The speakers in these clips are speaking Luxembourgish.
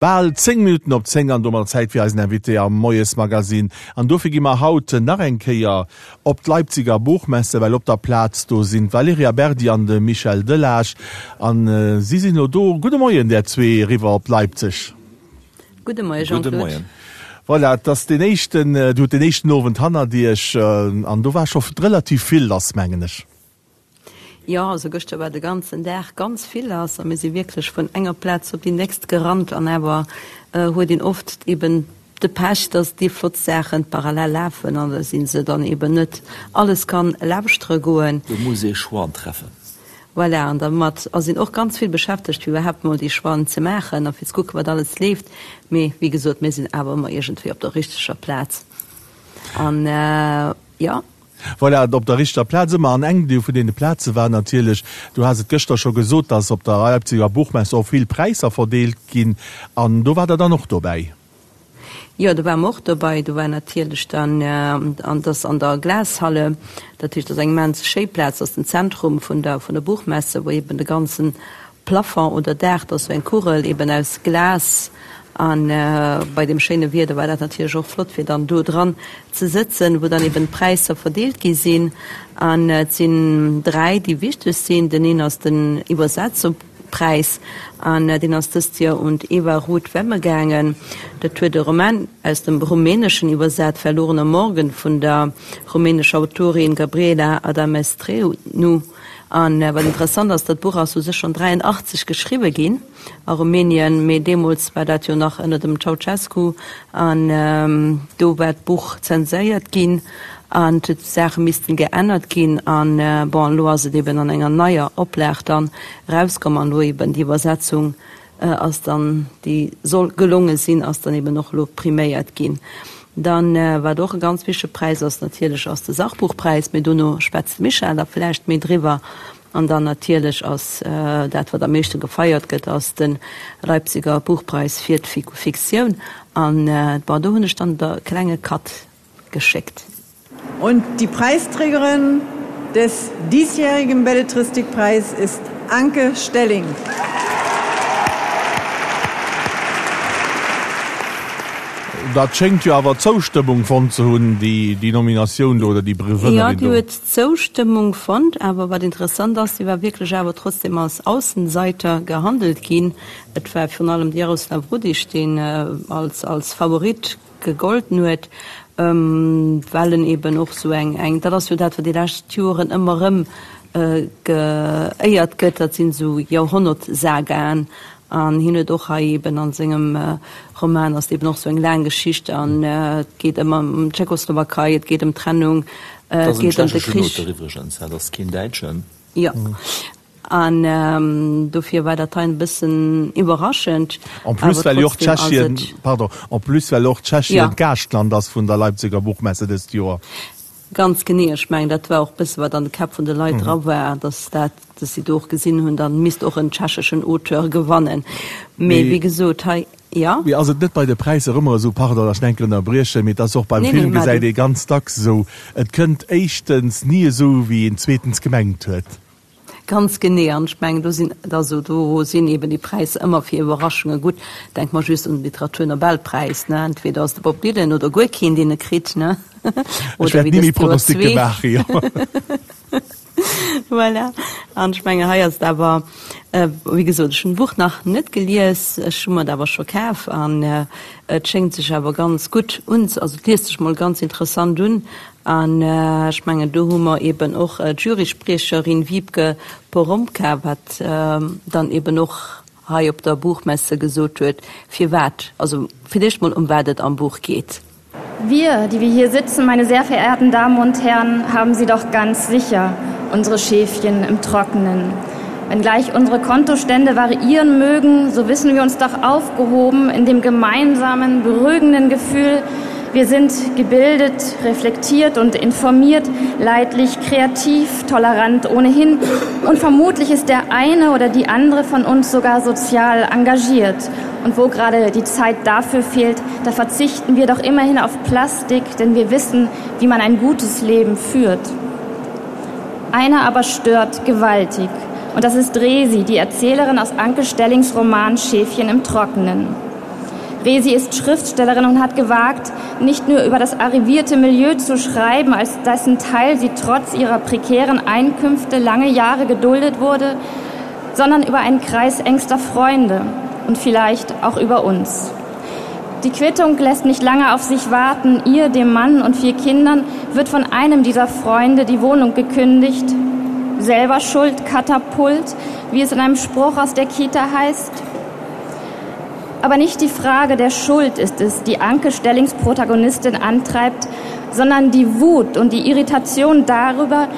Bal 10 Minutten op 10 an domat Zäit fir eisen Invité am Moiesmagazin. An dofir gi mer haut nach eng Kéier op d'Leipziger Buchmesse, well op der Plaz do sinn d'Valerija Berdi an de Michel Delage. An si sinn elo do. Gudde Moien där zwee eriwwer op Leipzig. Gudde Moie Jean-Claude. Voilà, et ass deen éischten, Dir hutt deen éischten Owend hannert Iech an do war scho relativ vill lass, mengen ech. Jo, also gëschter war de ganzen Dag ganz vill lass a mir si wierklech vun enger Plaz op déi nächst gerannt an awer huet een oft eben de Pech, dass déi flott Saachen parallel lafen an da si se dann eben net alles kann lauschtere goen. Do muss ee Choixen treffen. Voilà, an dermat ass een och ganz vill beschäftegt, fir iwwerhaapt mol déi Choixen ze maachen a fir ze kucken, wat alles leeft. Mee wéi gesot, mir sinn awer ëmmer iergendwéi op der richteger Plaz an jo. Voilà, op der richteger Plaz ëmmer. An eng vun deene Plaze war natierlech, du has et gëschter scho gesot, dass op der Leipziger Buchmesse och vill Präisser verdeelt ginn. An do war Der dann och dobäi? Jo, do ware mer och dobäi. Do war natierlech dann, an dass an der Glashalle, dat heescht, dat ass eng immens schéi Plaz, dat ass den Zentrum vun der, vun der Buchmesse, wou eben de ganzen Plafond oder Daach, dat ass sou eng Kugel eben aus Glas an bei deem schéine Wieder war dat natierlech och flott fir dann do dran ze sëtzen, wou dann eben d'Präisser verdeelt gi sinn. An et sinn 3 déi wichteg sinn. Den een ass den Iwwersetzungpräis an deen ass dëst Joer un d'Eva Ruth Wemme gaangen. Dat huet e Roman aus dem Rumäneschen iwwersat, Verlorener Morgen vun der rumänescher Autorin Gabriela Adamestreanu. An wat interessant ass, dat Buch ass u sech schonn 83 geschriwwe ginn a Rumänien, mee deemools war dat jo nach ënner dem Ceaucescu an do war d'Buch zenséiert ginn an et huet Saache missten geännert ginn. An bon, elo ass et eben an enger neier Oplag dann erauskomm an elo eben déi Iwwersetzung ass dann, déi soll gelonge sinn, ass dann eben och elo priméiert ginn. Dann, wat och e ganz wichtege Präis ass natierlech, ass de Sachbuchpräis, mee dono schwätzt de Michel da vläicht méi driwwer. An dann natierlech ass dat, wat am meeschte gefeiert gëtt, ass de Leipziger Buchpreis fir d'Fiktioun. An, bon, do hunn ech dann de klenge Cut geschéckt. Und die Preisträgerin des diesjährigen Belletristikpreis ist Anke Stelling. Dat schéngt jo awer Zoustëmmung fonnt ze hunn, déi Nominatioun do oder déi Gewënnerin do. Jo, déi huet Zoustëmmung fonnt. Awer wat interessant ass, si war wierklech awer trotzdem als Aussenseiter gehandelt ginn. Et war virun allem de Jaroslav Rudiš, deen als Favorit gegolten huet, well en eben och sou eng, eng, dat ass jo dat, wat déi lescht Joren ëmmer erëm geéiert gëtt, dat sinn esou Joerhonnertsagaen. An hien huet och hei eben a sengem Roman ass et eben och sou eng laang Geschicht an et geet ëmmer ëm d'Tschechoslowakei, et geet ëm d'Trennung, et geet ëm de Krich. Dat ass en tschecheschen Auteur iwwregens, dat ass keen Däitschen. Jo. An dofir war dat hei e bëssen iwwerraschend. En plus well jo och Tschechien, pardon, en plus well och Tschechien d'Gaaschtland ass vun der Leipziger Buchmesse dëst Joer. Ganz genee. Ech mengen, dat war och e bësse wat an de Käpp vun de Leit dra war, datt dat, datt si do och gesinn hunn, da misst och en tschecheschen Auteur gewannen. Mee wéi gesot, hei, jo. Mee ass et net bei de Präisser ëmmer esou, pardon, datt ech enk ënnerbriechen, mee et ass och beim Film, gesäit ee ganz dacks esou, et kënnt éischtens ni esou, wéi een zweetens gemengt huet. Ganz genee, an ech mengen, do sinn, also do sinn eben déi Präisser ëmmer fir Iwwerraschunge gutt. Denke mer just un de Literaturnobelpräis, ne, entweder ass de Bob Dylan oder guer keen, deen e kritt, ne, Ech wäert ni méi Pronosticke maachen, jo. Voilà, an ech mengen, hei ass et awer, wéi gesot, ech hunn d'Buch nach net gelies, ech hu mer et awer scho kaf an et schéngt sech awer ganz gutt un, also et liest sech mol ganz interessant un An ech mengen, do hu mer eeben och d'Juryspriecherin Wiebke Porombka, wat dann eeben och hei op der Buchmesse gesot huet, firwat, also fir d'éischt mol, ëm wat et am Buch geet. Wir, die wir hier sitzen, meine sehr verehrten Damen und Herren, haben sie doch ganz sicher, unsere Schäfchen im Trockenen. Wenngleich unsere Kontostände variieren mögen, so wissen wir uns doch aufgehoben in dem gemeinsamen, beruhigenden Gefühl, Wir sind gebildet, reflektiert und informiert, leidlich, kreativ, tolerant ohnehin und vermutlich ist der eine oder die andere von uns sogar sozial engagiert. Und wo gerade die Zeit dafür fehlt, da verzichten wir doch immerhin auf Plastik, denn wir wissen, wie man ein gutes Leben führt. Einer aber stört gewaltig. Und das ist Resi, die Erzählerin aus Anke Stellings Roman Schäfchen im Trockenen. Resi ist Schriftstellerin und hat gewagt, nicht nur über das arrivierte Milieu zu schreiben, als dessen Teil sie trotz ihrer prekären Einkünfte lange Jahre geduldet wurde, sondern über einen Kreis engster Freunde und vielleicht auch über uns. Die Quittung lässt nicht lange auf sich warten. Ihr, dem Mann und vier Kindern wird von einem dieser Freunde die Wohnung gekündigt. Selber Schuld Katapult, wie es in einem Spruch aus der Kita heißt. Aber nicht die Frage der Schuld ist es, die Anke Stellings Protagonistin antreibt, sondern die Wut und die Irritation darüber,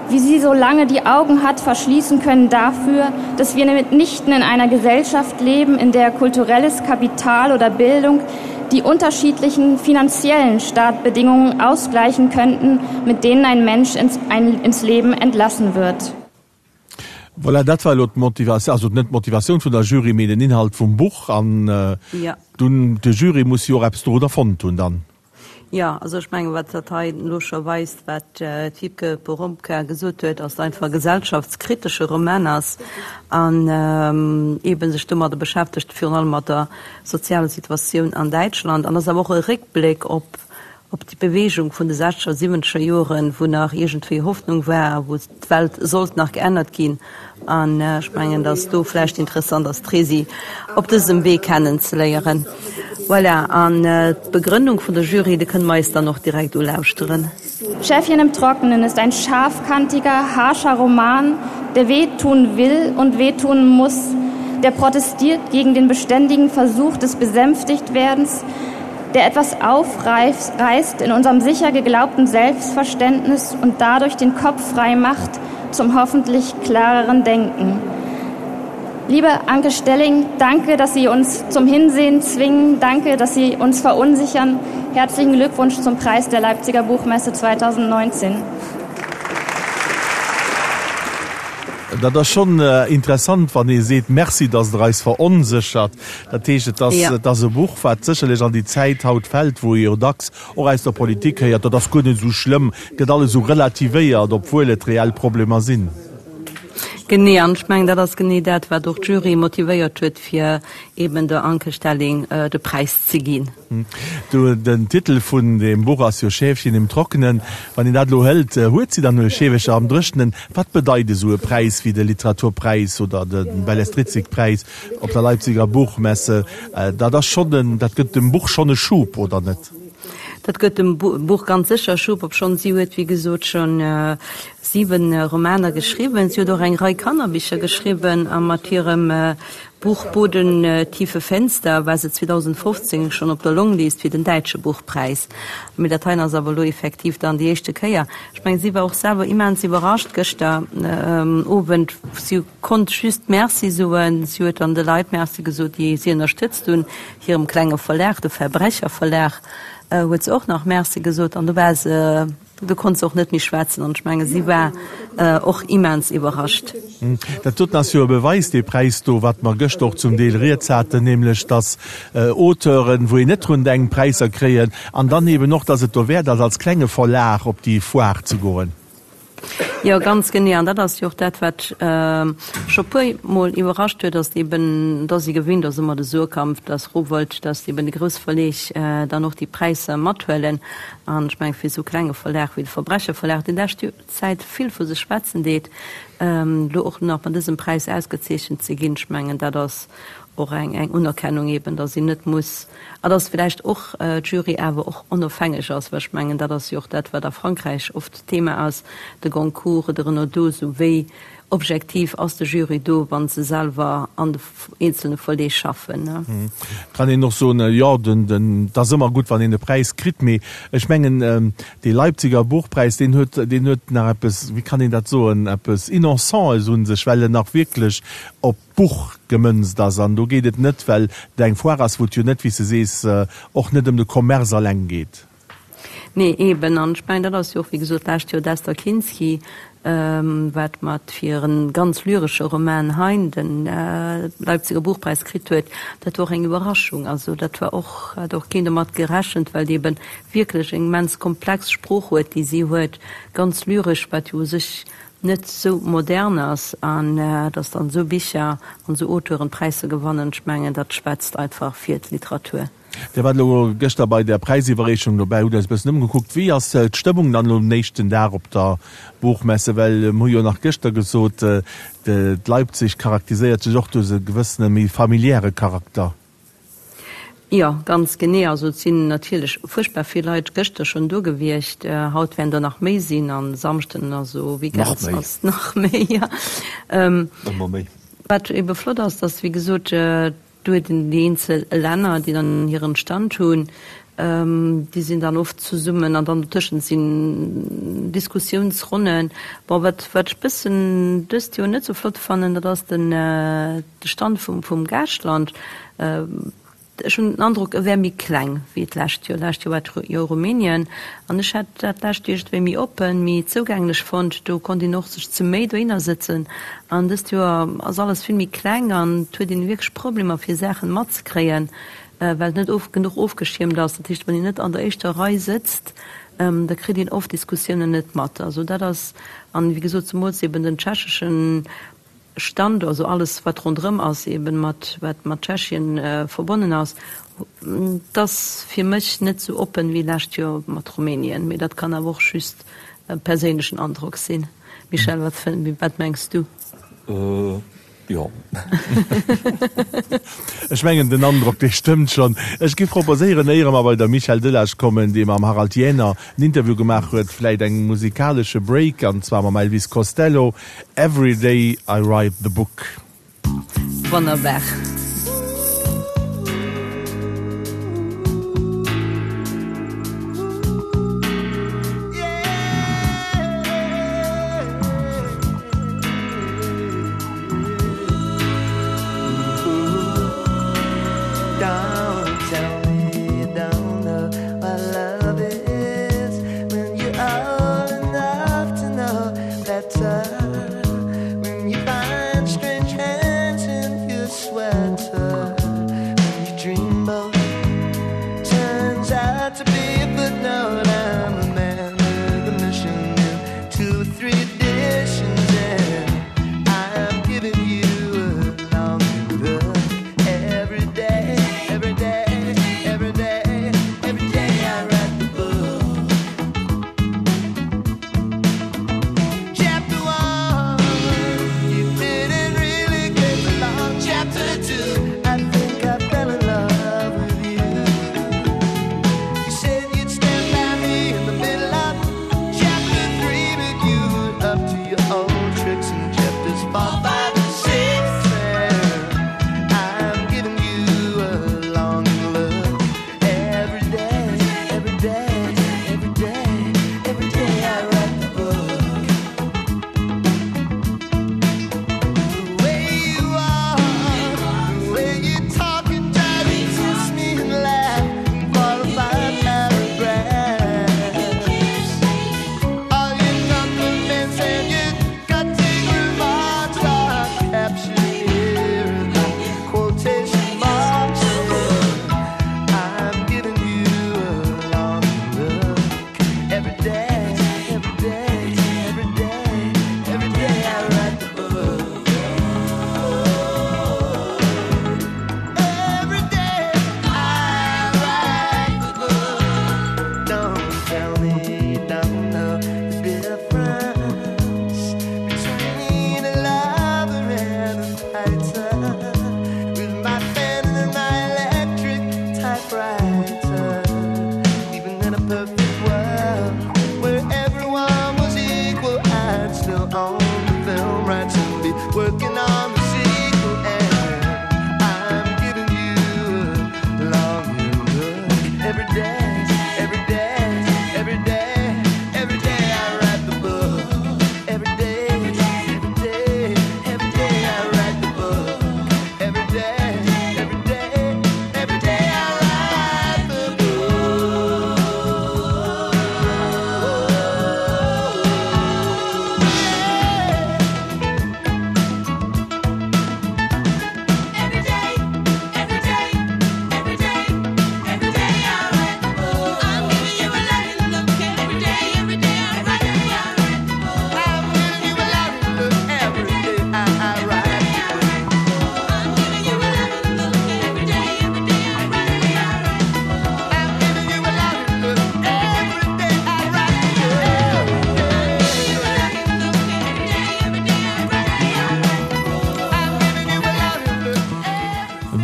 wie sie so lange die Augen hat verschließen können dafür, dass wir mitnichten in einer Gesellschaft leben, in der kulturelles Kapital oder Bildung die unterschiedlichen finanziellen Startbedingungen ausgleichen könnten, mit denen ein Mensch ins, ein, ins Leben entlassen wird. Voilà, dat war elo d'Motivatioun, also net d'Motivatioun vun der Jury, mee den Inhalt vum Buch. An dunn, de Jury muss jo och eppes dorunner fonnt hunn dann. Jo, also ech mengen, wat dat hei elo scho weist, wat d'Wiebke Porombka gesot huet, ass einfach e gesellschaftskritesche Roman ass an eebe sech domadder beschäftegt, virun allem mat der sozialer Situatioun an Däitschland. An ass awer och e Réckbléck op op déi Bewegung vun de sechzeger, siwwenzeger Joren, wou nach iergendwéi Hoffnung war a wou d'Welt sollt nach geännert ginn. An ech mengen, datt do vläicht interessant ass, d'Resi op dësem Wee kennen ze léieren. Voilà, an d'Begrënnung vun der Jury, déi kënne mer eis dann och direkt ulauschteren. Schäfchen im Trockenen ist ein scharfkantiger, harscher Roman, der wehtun will und wehtun muss, der protestiert gegen den beständigen Versuch des Besänftigtwerdens, der etwas aufreißt in unserem sicher geglaubten Selbstverständnis und dadurch den Kopf frei macht zum hoffentlich klareren Denken. Liebe Anke Stelling, danke, dass Sie uns zum Hinsehen zwingen. Danke, dass Sie uns verunsichern. Herzlichen Glückwunsch zum Preis der Leipziger Buchmesse 2019. Dat ass schonn interessant, wann ee seet, Merci, datt Der eis veronséchert. Dat heescht, et ass, et ass e Buch, wat sécherlech an déi Zäit haut fält, wou ee jo dacks och aus der Politik héiert, dat ass guer net esou schlëmm, gëtt alles esou relativéiert, obwuel et reell Problemer sinn. Genee, an ech mengen, dat ass genee dat, wat och d'Jury motivéiert huet, fir eeben der Anke Stelling de Präis ze ginn. Den Titel vun deem Buch ass jo Schäfchen im Trockenen. Wann een dat elo hëlt, huet si dann elo Scheewecher am Dréchnen? Wat bedeit esou e Präis wéi de Literaturpräis oder de Bellestritzikpräis op der Leipziger Buchmesse? Dat ass schonn en, dat gëtt dem Buch schonn e Schub, oder net? Dat gëtt dem Buch ganz sécher e Schub, obschonn si huet, wéi gesot, scho 7 Romaner geschriwwen. Si huet och eng Rei Kannerbicher geschriwwen a mat hirem Buch Boden tiefe Fenster war se 2015 schonn op der Longlist fir den däitsche Buchpräis. Mee dat heien ass awer elo effektiv dann déi éischte Kéier. Ech mengen, si war och selwer immens iwwerrascht gëschter Owend. Si konnt just Merci soen. Si huet dann de Leit Merci gesot, déi si ënnerstëtzt hunn. Hirem klenge Verlag, de Verbrecher Verlag, huet se och nach Merci gesot an do war se Do konnt se och net méi schwätzen an ech menge si war och immens iwwerrascht. Dat doten ass jo e Beweis, dee Präis do, wat mer gëschter och zum Deel rieds haten, nämlech datt Auteuren, wou een net drun denkt, Präisser kréien an dann eben och, datt et dowäert ass, als klenge Verlag op déi Foire ze goen. Jo, ganz genee. An dat ass jo och dat, wat scho puer Mol iwwerrascht huet, datt eben, datt ee gewinnt ass ëmmer de Suhrkamp, datt Rowohlt, datt eben déi grouss Verleeg dann och déi Präisser mathuelen. An ech mengen, fir esou klenge Verlag wéi de Verbrecher Verlag, deen lescht Zäit vill vu sech schwätzen deet, elo och nach mat dësem Präis ausgezeechent ze ginn, ech mengen, dat ass och eng eng Unerkennung eben, datt een net muss, a datt vläicht och d'Jury awer och onofhängeg ass, well ech mengen, dat ass jo och dat, wat a Frankräich oft Thema ass, de Goncourt, de Renaudot, esou wéi Objektiv ass de Jury do, wann se selwer an de eenzelne Verleeg schaffen. Kann een och soen, jo, den, et ass ëmmer gutt, wann een e Präis kritt, mee ech mengen, dee Leipziger Buchpräis, deen huet, deen huet nach eppes, wéi kann een dat soen, eppes Innocentes un sech, well en nach wierklech op d'Buch gemënzt ass. An do geet et net, well et eng Foire ass, wou et jo net, wéi s de sees, och net ëm de Commerce alleng geet. Nee, eben. An ech mengen, dat ass jo och, wéi gesot, d'lescht Joer d'Esther Kinsky, wat mat fir e ganz lyresche Roman Hein de Leipziger Buchpräis kritt huet. Dat war och eng Iwwerraschung. Also dat war och, hat och keen domat gerechent, well déi eben wierklech eng immens komplex Sprooch huet, déi si huet, ganz lyresch, wat jo u sech. net sou modern ass an dass dann esou Bicher an esou Auteuren Präisser gewannen, ech mengen dat schwätzt einfach fir d'Literatur. Dir waart elo gëschter bei der Präisiwwerreechung dobäi, hutt eis e bëssen ëmgekuckt. Wéi ass d'Stëmmung dann elo um éischten Dag op der Buchmesse? Well mir hu jo nach gëschter gesot, d'Leipzig charakteriséiert sech och duerch e gewëssene méi familiäre Charakter. Jo, ganz genee. Also et sinn natierlech fuerchtbar vill Leit gëschter schonn do gewiescht. Haut wäerten der nach méi sinn an Samschden, also Weekend ass nach méi. Jo. Ëmmer méi. Wat ebe flott ass, datt wéi gesot do huet een déi eenzel Länner, déi dann hiren Stand hunn, déi sinn dann oft zesummen an dann dotëschent sinn Diskussiounsronnen. Bon, wat wat ech bëssen dëst Joer net sou flott fannen, dat ass den de Stand vum vum Gaaschtland. Ech hunn den Androck, e wär méi kleng wéi d'lescht Joer. D'lescht Joer war et jo Rumänien an ech hätt dat lescht Joer iergendwéi méi oppen, méi zougänglech fonnt. Do konnt een och sech ze méi dohinner sëtzen an dëst Joer ass alles vill méi kleng an et huet een wierklech Problemer fir Saachen matzekréien, well et net of genuch ofgeschiermt ass. Dat heescht, wann een net an der éischter Rei sëtzt, da kritt een oft Diskussiounen net mat. Also dat ass, an wéi gesot, zemools eben den tschecheschen Stand, also alles wat ronderëm ass, eben mat wat mat Tschechien verbonnen ass, et ass fir mech net sou oppen wéi lescht Joer mat Rumänien. Mee dat kann awer och just e perséinlechen Androck sinn. Michel, wat wat mengs du? Jo. Ech mengen den Androck dee stëmmt schonn. Ech giff proposéieren, éiere mer bei der Michel Delage kommen, dee mam Harald Jähner en Interview gemaach huet, vläit eng musikalesche Break, an zwar mam Elvis Costello, Every Day I Write the Book. Wonnerbar.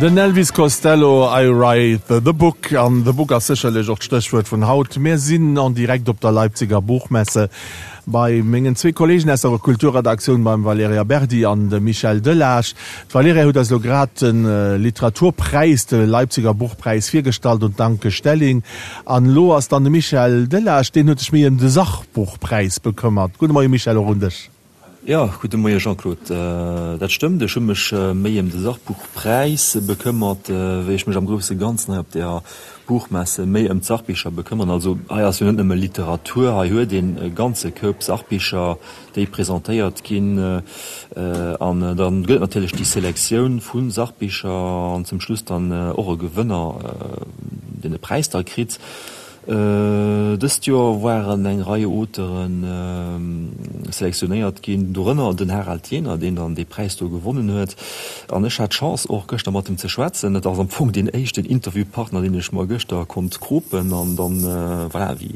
Den Elvis Costello, I write the book. An the book ass sécherlech och d'Stéchwuert vun haut. Mir sinn en direct op der Leipziger Buchmesse bei mengen zwee Kollegen aus der Kulturredaktioun, beim Valerija Berdi an dem Michel Delage. D'Valerija huet eis elo grad de Literaturpräis, de Leipziger Buchpräis virgestallt un d'Anke Stelling. An elo ass dann de Michel Delage, deen huet sech méi ëm de Sachbuchpräis bekëmmert. Gudde Moie Michel, och un dech. Jo, gudde Moie Jean-Claude. Dat stëmmt, ech hu mech méi ëm de Sachbuchpräis bekëmmert, wéi ech mech am grousse Ganzen hei op der Buchmesse méi ëm d'Sachbicher bekëmmern. Also hei ass jo net nëmme Literatur, hei huet een e ganze Koup Sachbicher, déi presentéiert ginn. An da gëtt et natierlech déi Selektioun vu Sachbicher an zum Schluss dann och e Gewënner, deen e Präis da kritt. Dëst Joer waren eng Rei Auteure selektionéiert ginn, dorënner den Harald Jähner, deen dann dee Präis do gewonnen huet. An ech hat d'Chance och gëschter mat him ze schwätzen. Et ass am Fong deen éischten Interviewpartner, deen ech mer gëschter konnt kropen. An dann, voilà, wéi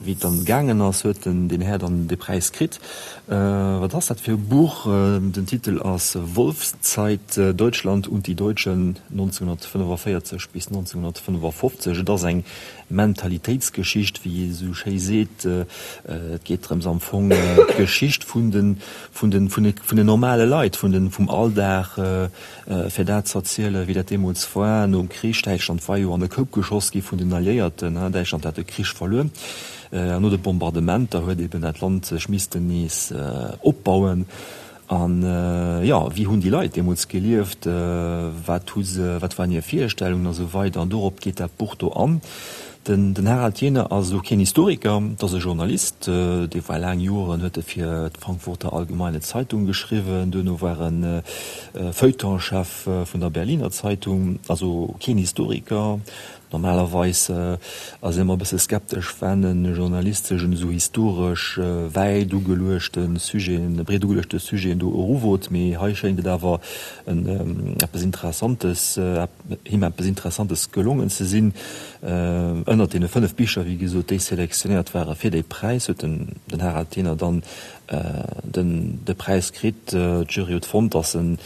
wéi et dann gaangen ass, huet den deen Här dann dee Präis kritt. Wat ass dat fir e Buch? Den Titel ass Wolfszeit, Deutschland und die Deutschen 1945 bis 1955. Et ass eng Mentalitéitsgeschicht, wéi ee sou schéi seet. Et geet drëms am Fong d'Geschicht vun den, vun den, vun den normale Leit, vun den, vum Alldag, fir dat z'erzielen, wéi dat deemools war nom Krich. Däitschland war jo an e Koup geschoss gi vun den Alliéierten. Däitschland hat de Krich verluer. An no de Bombardementer huet eben dat Land sech missten nees opbauen. An jo, wéi hunn déi Leit deemools gelieft, wat hu se, wat waren hir Virstellungen a sou weider. An dorop geet dat Buch do an. Den den Harald Jähner ass elo keen Historiker, et ass e Journalist, dee war laang Joren, huet e fir d'Frankfurter Allgemeine Zeitung geschriwwen, duerno war en Feuilletonchef vun der Berliner Zeitung, also keen Historiker. Normalerweis ass een ëmmer e bësse skeptesch, wenn e Journalist sech un esou historesch wäit ugeluechte Sujeten, breet ugeluechte Sujeten do eruwot, mee hei schéngt et awer en eppes Interessantes, him eppes Interessantes gelongen ze sinn. Ënnert deene 5 Bicher, wéi gesot, déi selektionéiert ware fir dee Präis, huet den Harald Thener dann den de Präis kritt. D'Jury huet fonnt, datt en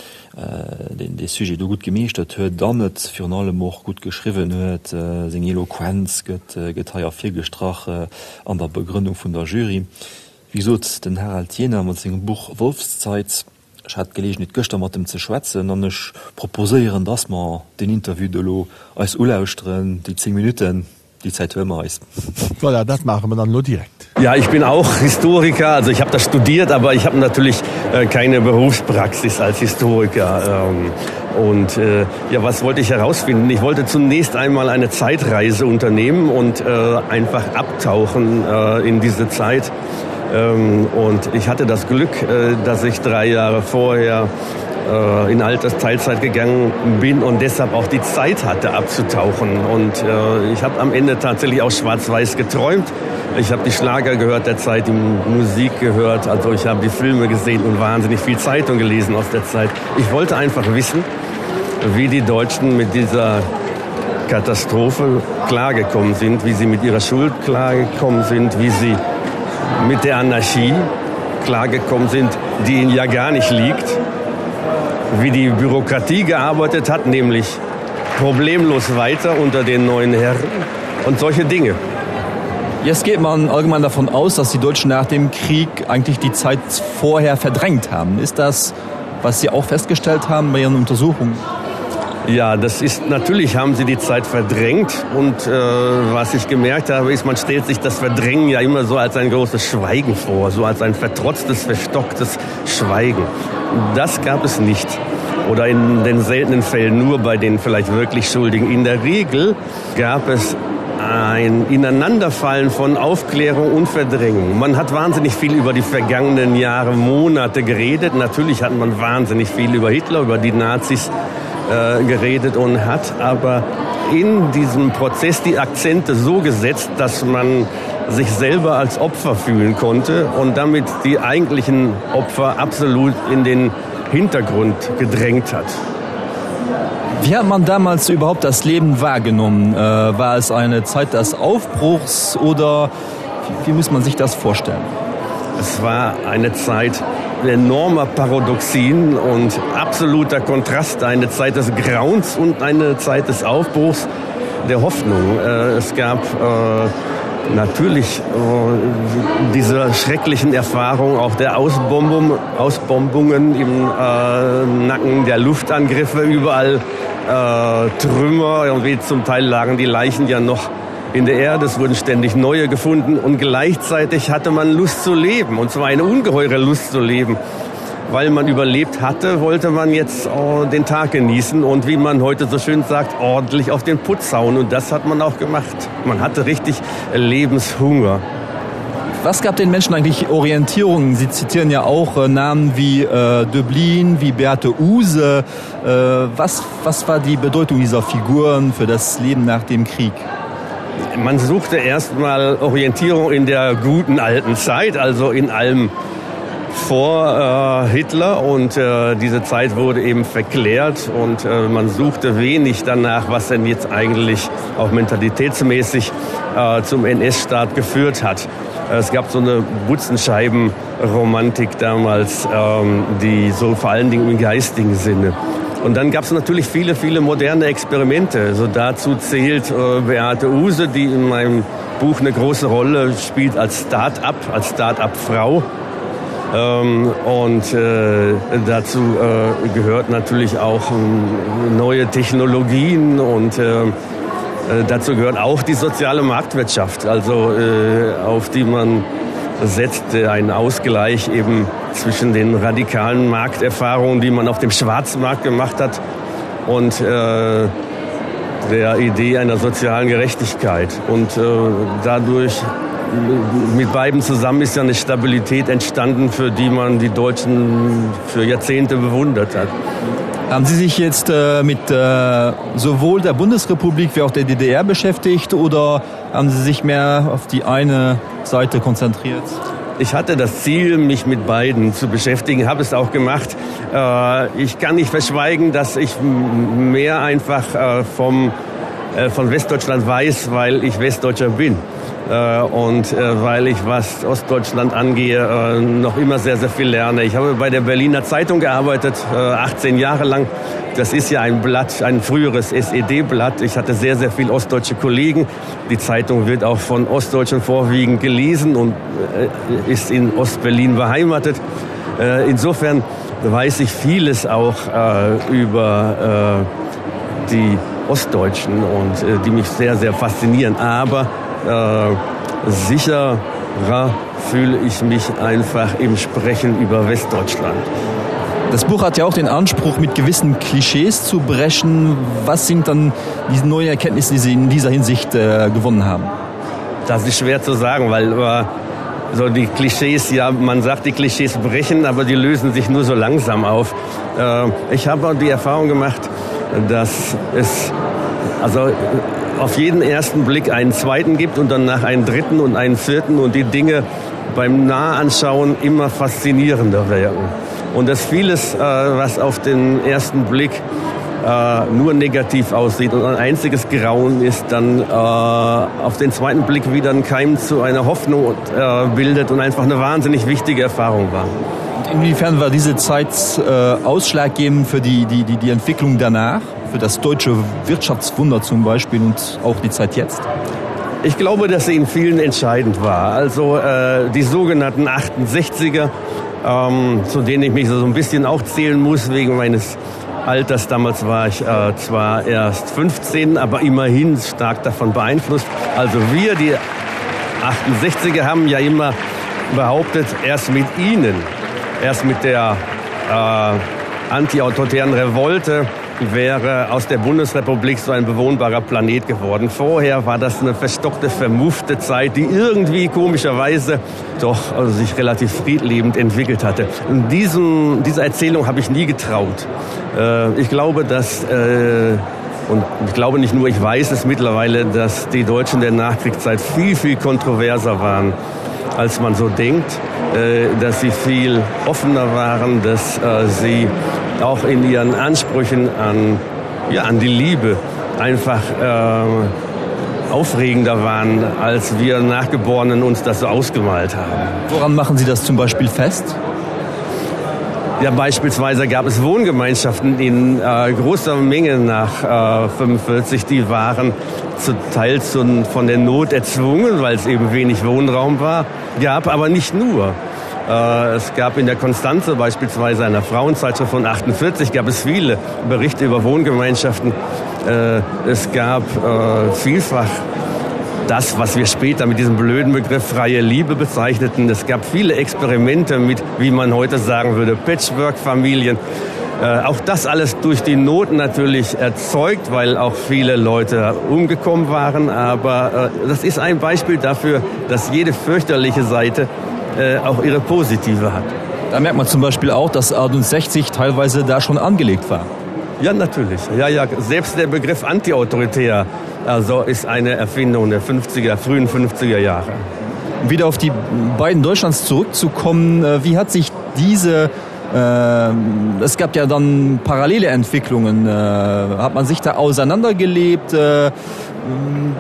deen dee Sujet do gutt gemeeschtert huet an et virun allem och gutt geschriwwen huet. Seng Eloquenz gëtt gëtt hei ervirgestrach an der Begrënnung vun der Jury. Wéi gesot, den Harald Jähner mat sengem Buch Wolfszeit. Ech hat d'Geleegenheet gëschter mat em ze schwätzen an ech proposéieren, datt mer deen Interview do elo eis ulauschteren, déi 10 Minutten. Die Zeit hören wir eis. Voilà, dat maache mer dann elo direkt. Ja, ich bin auch Historiker, also ich habe das studiert, aber ich habe natürlich äh, keine Berufspraxis als Historiker. Ähm, und äh, ja, was wollte ich herausfinden? Ich wollte zunächst einmal eine Zeitreise unternehmen und äh, einfach abtauchen äh, in diese Zeit. Ähm, und ich hatte das Glück, äh, dass ich drei Jahre vorher, äh, in Altersteilzeit gegangen bin und deshalb auch die Zeit hatte abzutauchen. Und äh, ich habe am Ende tatsächlich auch schwarz-weiß geträumt. Ich habe die Schlager gehört der Zeit, die Musik gehört, also ich habe die Filme gesehen und wahnsinnig viel Zeitung gelesen aus der Zeit. Ich wollte einfach wissen, wie die Deutschen mit dieser Katastrophe klargekommen sind, wie sie mit ihrer Schuld klargekommen sind, wie sie mit der Anarchie klargekommen sind, die ihnen ja gar nicht liegt, wie die Bürokratie gearbeitet hat, nämlich problemlos weiter unter den neuen Herren und solche Dinge. Jetzt geht man allgemein davon aus, dass die Deutschen nach dem Krieg eigentlich die Zeit vorher verdrängt haben. Ist das, was Sie auch festgestellt haben bei Ihren Untersuchungen? Ja, das ist natürlich haben sie die Zeit verdrängt und äh, was ich gemerkt habe, ist, man stellt sich das Verdrängen ja immer so als ein großes Schweigen vor, so als ein vertrotztes, verstocktes Schweigen. Das gab es nicht oder in den seltenen Fällen nur bei den vielleicht wirklich Schuldigen. In der Regel gab es ein Ineinanderfallen von Aufklärung und Verdrängung. Man hat wahnsinnig viel über die vergangenen Jahre, Monate geredet. Natürlich hat man wahnsinnig viel über Hitler, über die Nazis äh, geredet und hat aber in diesem Prozess die Akzente so gesetzt, dass man sich selber als Opfer fühlen konnte und damit die eigentlichen Opfer absolut in den Hintergrund gedrängt hat. Wie hat man damals überhaupt das Leben wahrgenommen? Äh, war es eine Zeit des Aufbruchs oder wie muss man sich das vorstellen? Es war eine Zeit enormer Paradoxien und absoluter Kontrast, eine Zeit des Grauens und eine Zeit des Aufbruchs der Hoffnung. Äh, es gab äh, natürlich äh, diese schrecklichen Erfahrungen auch der Ausbombung, Ausbombungen im äh, Nacken der Luftangriffe überall äh, Trümmer irgendwie zum Teil lagen die Leichen ja noch in der Erde, es wurden ständig neue gefunden und gleichzeitig hatte man Lust zu leben und zwar eine ungeheure Lust zu leben. Weil man überlebt hatte, wollte man jetzt oh, den Tag genießen und wie man heute so schön sagt, ordentlich auf den Putz hauen und das hat man auch gemacht. Man hatte richtig Lebenshunger. Was gab den Menschen eigentlich Orientierungen? Sie zitieren ja auch äh, Namen wie äh, Dublin, wie Beate Use. Äh, was, was war die Bedeutung dieser Figuren für das Leben nach dem Krieg? Man suchte erstmal Orientierung in der guten alten Zeit, also in allem vor äh, Hitler und äh, diese Zeit wurde eben verklärt und äh, man suchte wenig danach, was denn jetzt eigentlich auch mentalitätsmäßig äh, zum NS-Staat geführt hat. Es gab so eine Butzenscheibenromantik damals, ähm, die so vor allen Dingen im geistigen Sinne. Und dann gab es natürlich viele, viele moderne Experimente. So dazu zählt äh, Beate Use, die in meinem Buch eine große Rolle spielt als Start-up, als Start-up-Frau. Ähm, und äh, dazu äh, gehört natürlich auch äh, neue Technologien und äh, äh, dazu gehört auch die soziale Marktwirtschaft, also äh, auf die man setzt äh, einen Ausgleich eben zwischen den radikalen Markterfahrungen, die man auf dem Schwarzmarkt gemacht hat und äh, der Idee einer sozialen Gerechtigkeit. Und äh, dadurch mit beiden zusammen ist ja eine Stabilität entstanden, für die man die Deutschen für Jahrzehnte bewundert hat. Haben Sie sich jetzt äh, mit äh, sowohl der Bundesrepublik wie auch der DDR beschäftigt oder haben Sie sich mehr auf die eine Seite konzentriert? Ich hatte das Ziel, mich mit beiden zu beschäftigen, habe es auch gemacht. Äh, ich kann nicht verschweigen, dass ich mehr einfach äh, vom, äh, von Westdeutschland weiß, weil ich Westdeutscher bin. Äh, und äh, weil ich was Ostdeutschland angehe, äh, noch immer sehr, sehr viel lerne. Ich habe bei der Berliner Zeitung gearbeitet, 18 Jahre lang. Das ist ja ein Blatt, ein früheres SED-Blatt. Ich hatte sehr, sehr viel ostdeutsche Kollegen. Die Zeitung wird auch von Ostdeutschen vorwiegend gelesen und ist in Ostberlin beheimatet. Insofern weiß ich vieles auch über die Ostdeutschen und die mich sehr, sehr faszinieren. Aber äh, sicherer fühle ich mich einfach im Sprechen über Westdeutschland. Das Buch hat ja auch den Anspruch, mit gewissen Klischees zu brechen. Was sind dann die neuen Erkenntnisse, die Sie in dieser Hinsicht äh, gewonnen haben? Das ist schwer zu sagen, weil äh, so die Klischees ja man sagt die Klischees brechen, aber die lösen sich nur so langsam auf. Äh, ich habe die Erfahrung gemacht, dass es also auf jeden ersten Blick einen zweiten gibt und danach einen dritten und einen vierten und die Dinge beim Nahanschauen immer faszinierender werden. Und dass vieles, äh, was auf den ersten Blick äh, nur negativ aussieht und ein einziges Grauen ist, dann äh, auf den zweiten Blick wieder ein Keim zu einer Hoffnung bildet und einfach eine wahnsinnig wichtige Erfahrung war. Inwiefern war diese Zeit ausschlaggebend für die, die, die, die Entwicklung danach? für das deutsche Wirtschaftswunder zum Beispiel und auch die Zeit jetzt? Ich glaube, dass sie in vielen entscheidend war. Also äh, die sogenannten 68er, ähm, zu denen ich mich so ein bisschen auch zählen muss wegen meines Alters. Damals war ich äh, zwar erst 15, aber immerhin stark davon beeinflusst. Also wir, die 68er, haben ja immer behauptet, erst mit ihnen, erst mit der äh, antiautoritären Revolte, wäre aus der Bundesrepublik so ein bewohnbarer Planet geworden. Vorher war das eine verstockte, vermuffte Zeit, die irgendwie komischerweise doch also sich relativ friedlebend entwickelt hatte. In diesem, dieser Erzählung habe ich nie getraut. Äh, ich glaube, dass äh, und ich glaube nicht nur, ich weiß es mittlerweile, dass die Deutschen der Nachkriegszeit viel, viel kontroverser waren, als man so denkt, äh, dass sie viel offener waren, dass sie auch in ihren Ansprüchen an, ja, an die Liebe einfach äh, aufregender waren, als wir Nachgeborenen uns das so ausgemalt haben. Woran machen Sie das zum Beispiel fest? Ja, beispielsweise gab es Wohngemeinschaften in äh, großer Menge nach äh, 45, die waren zu Teil zu, von der Not erzwungen, weil es eben wenig Wohnraum war, gab aber nicht nur. Äh, es gab in der Konstanze beispielsweise einer Frauenzeitschrift von 48 gab es viele Berichte über Wohngemeinschaften. Äh, es gab äh, vielfach das, was wir später mit diesem blöden Begriff freie Liebe bezeichneten. Es gab viele Experimente mit, wie man heute sagen würde, Patchwork-Familien. Äh, auch das alles durch die Not natürlich erzeugt, weil auch viele Leute umgekommen waren. Aber äh, das ist ein Beispiel dafür, dass jede fürchterliche Seite äh, auch ihre positive hat. Da merkt man zum Beispiel auch, dass 68 teilweise da schon angelegt war. Ja, natürlich. Ja, ja, selbst der Begriff antiautoritär also ist eine Erfindung der 50er, frühen 50er Jahre. Wieder auf die beiden Deutschlands zurückzukommen, äh, wie hat sich diese äh, es gab ja dann parallele Entwicklungen. Äh, hat man sich da auseinandergelebt? Äh,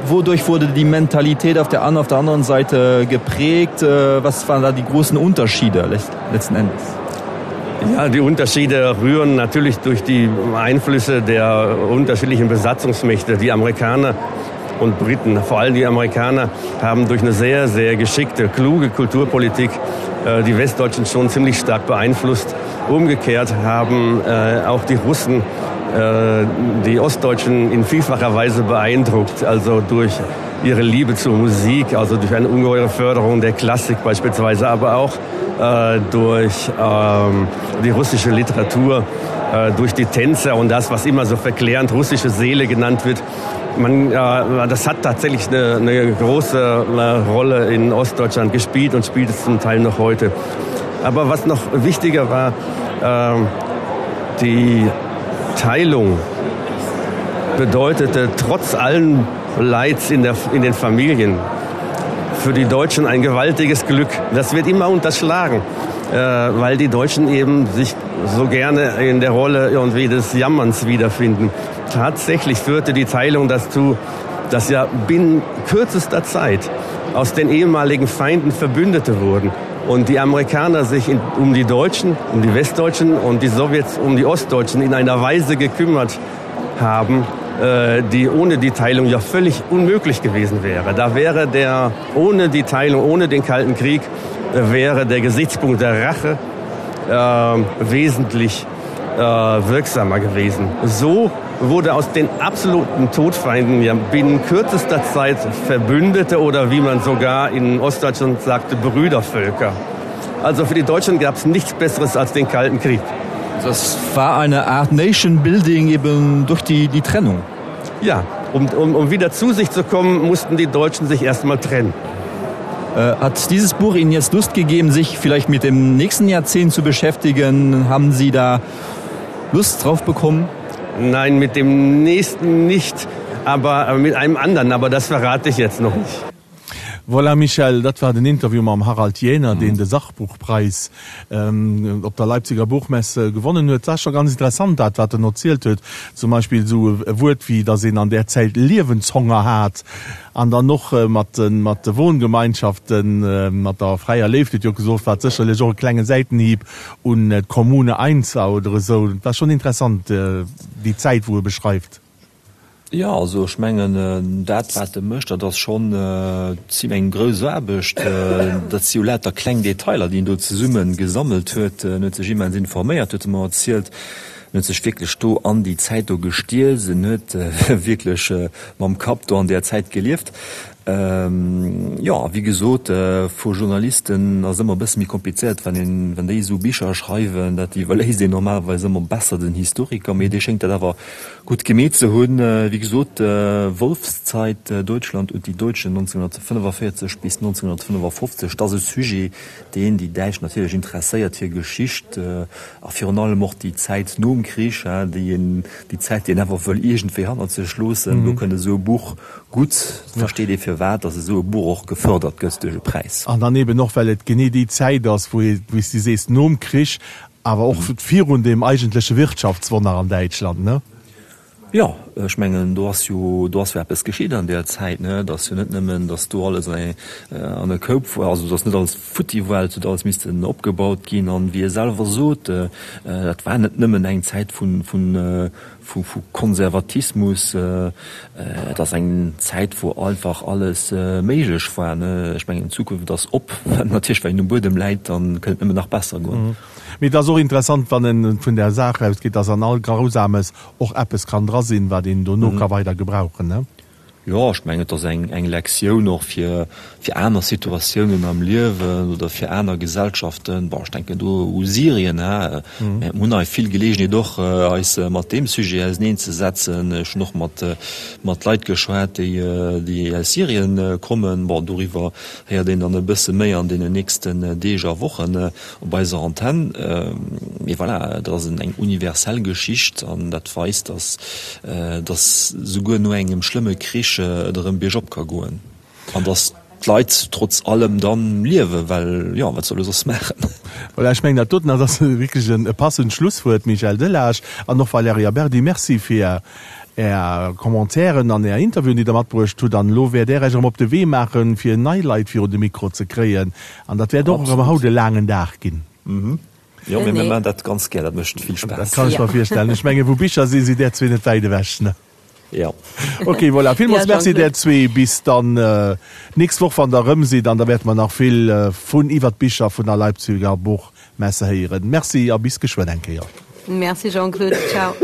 wodurch wurde die Mentalität auf der, an, auf der anderen Seite geprägt? Äh, was waren da die großen Unterschiede letzten Endes? Ja, die Unterschiede rühren natürlich durch die Einflüsse der unterschiedlichen Besatzungsmächte. Die Amerikaner und Briten, vor allem die Amerikaner, haben durch eine sehr, sehr geschickte, kluge Kulturpolitik äh, die Westdeutschen schon ziemlich stark beeinflusst. Umgekehrt haben äh, auch die Russen äh, die Ostdeutschen in vielfacher Weise beeindruckt, also durch ihre Liebe zur Musik, also durch eine ungeheure Förderung der Klassik beispielsweise, aber auch äh, durch ähm, die russische Literatur, äh, durch die Tänze und das, was immer so verklärend russische Seele genannt wird. Man, äh, das hat tatsächlich eine, eine große eine Rolle in Ostdeutschland gespielt und spielt es zum Teil noch heute. Aber was noch wichtiger war, äh, die Teilung bedeutete trotz allen Leids in, der, in den Familien für die Deutschen ein gewaltiges Glück. Das wird immer unterschlagen, äh, weil die Deutschen eben sich so gerne in der Rolle irgendwie des Jammerns wiederfinden. Tatsächlich führte die Teilung dazu, dass ja binnen kürzester Zeit aus den ehemaligen Feinden Verbündete wurden und die Amerikaner sich in, um die Deutschen, um die Westdeutschen und die Sowjets um die Ostdeutschen in einer Weise gekümmert haben, äh, die ohne die Teilung ja völlig unmöglich gewesen wäre. Da wäre der ohne die Teilung, ohne den Kalten Krieg äh, wäre der Gesichtspunkt der Rache äh, wesentlich äh, wirksamer gewesen. So wurde aus den absoluten Todfeinden ja binnen kürzester Zeit Verbündete oder wie man sogar in Ostdeutschland sagte, Brüdervölker. Also für die Deutschen gab es nichts Besseres als den Kalten Krieg. Das war eine Art Nation Building eben durch die, die Trennung. Ja, um, um, um wieder zu sich zu kommen, mussten die Deutschen sich erstmal trennen. Äh, hat dieses Buch Ihnen jetzt Lust gegeben, sich vielleicht mit dem nächsten Jahrzehnt zu beschäftigen? Haben Sie da Lust drauf bekommen? Nein, mit dem nächsten nicht, aber äh, mit einem anderen, aber das verrate ich jetzt noch nicht. Voilà Michèle, dat war den Interview mam Harald Jähner, deen de Sachbuchpreis op der Leipziger Buchmesse gewonnen huet. War scho ganz interessant dat, wat en erzielt huet. Zum Beispill esou e Wuert wéi, datt een an där Zäit Liewenshonger hat an dann och mat de mat de Wohngemeinschaften, mat der fräier Léift, huet jo gesot, wat sécherlech och e klenge Säitenhieb un d'Kommune 1 war oder esou. Et war schonn interessant déi Zäit, wou e beschreift. Jo, also ech mengen, dat wat e mécht, dat ass schonn eng grouss Aarbecht. Dat si jo lauter kleng Detailer, déi en do zesumme gesammelt huet. En huet sech immens informéiert, huet e mer erzielt. En huet sech wierklech do an déi Zäit do gestierzt. En huet wierklech mam Kapp do an där Zäit gelieft. Jo, a wéi gesot, vu Journalisten ass ëmmer e bësse méi komplizéiert, wann een, wann déi esou Bicher schreiwen, dat iwwerléisst een normalerweis ëmmer besser den Historiker, mee dee schéngt dat awer gutt gemeet ze hunn. Wéi gesot, Wolfszeit, Deutschland und die Deutschen 1945 bis 1955, dat ass e Sujet, deen déi Däitsch natierlech interesséiert, hir Geschicht a virun allem och déi Zäit nom Krich, déi een, déi Zäit, déi een awer wëll iergendwéi hannert sech loossen. Do kënnt esou e Buch Gutt, et versteet ee firwat, datt esou e Buch och gefërdert gëtt duerch e Präis. An dann eben och, well et genee déi Zäit ass, wou ee, wéi s de sees, nom Krich, awer och virun deem eigentleche Wirtschaftswonner an Däitschland, ne? Jo, ech mengen, do ass jo, do ass jo eppes geschitt an där Zäit, ne? Et ass jo net nëmmen, datt do alles an eng, an e Koup war, also datt net alles futti war, et huet alles missten opgebaut ginn. An wéi e selwer sot, dat war net nëmmen eng Zäit vun, vun, vu, vu Konservatismus, et ass eng Zäit, wou einfach alles méiglech war, ne? Ech mengen, d'Zukunft ass op, natierlech, well een um Buedem läit, dann kënnt et nëmmen nach besser goen. Mee et ass och interessant, wann en vun där Saach ausgeet, datt an all Grausames och eppes kann dra sinn, wat een dono ka weider gebrauchen, ne? Jo, ech mengen, et ass eng, eng Lektioun och fir, fir aner Situatiounen am Liewen oder fir aner Gesellschaften. Bon, ech denken do u Syrien, hä. Mir hunn hei vill Geleegenheet och, eis mat deem Sujet auseneenzesetzen. Ech hunn och mat, mat Leit geschwat, déi, déi aus Syrien kommen. Bon, doriwwer héiert een dann e bësse méi an deenen nächsten Deeg a Wochen. Op eiser Antenn. Mee voilà, dat ass eng universell Geschicht an dat weist, dass dass souguer no engem schlëmme Krich et erëm biergop ka goen an dass d'Leit trotz allem dann liewen, well jo, wat soll e soss maachen? Voilà, ech mengen dat doten ass wierklech e passend Schlusswuert, Michel Delage an och Valerija Berdi. Merci fir Är Commentairen an Är Interviewen, déi Der matbruecht hutt. An elo wäert Är Iech erëm op de Wee maachen, fir nei Leit virun de Mikro ze kréien. An dat wäert och erëm haut e laangen Dag ginn. Jo, mee mir maachen dat ganz gär, dat mécht vill Spaass. Dat kann ech mer virstellen. Ech mengen, wou Bicher sinn, sidd Där zwee net wäit ewech, ne? Jo. Ok, voilà. Villmools Merci där zwee. Bis dann d'nächst Woch, wann Der erëm sidd. An da wäerte mer nach vill vun iwwer d'Bicher vun der Leipziger Buchmesse héieren. Merci a bis geschwënn eng Kéier. Merci Jean-Claude. Ciao.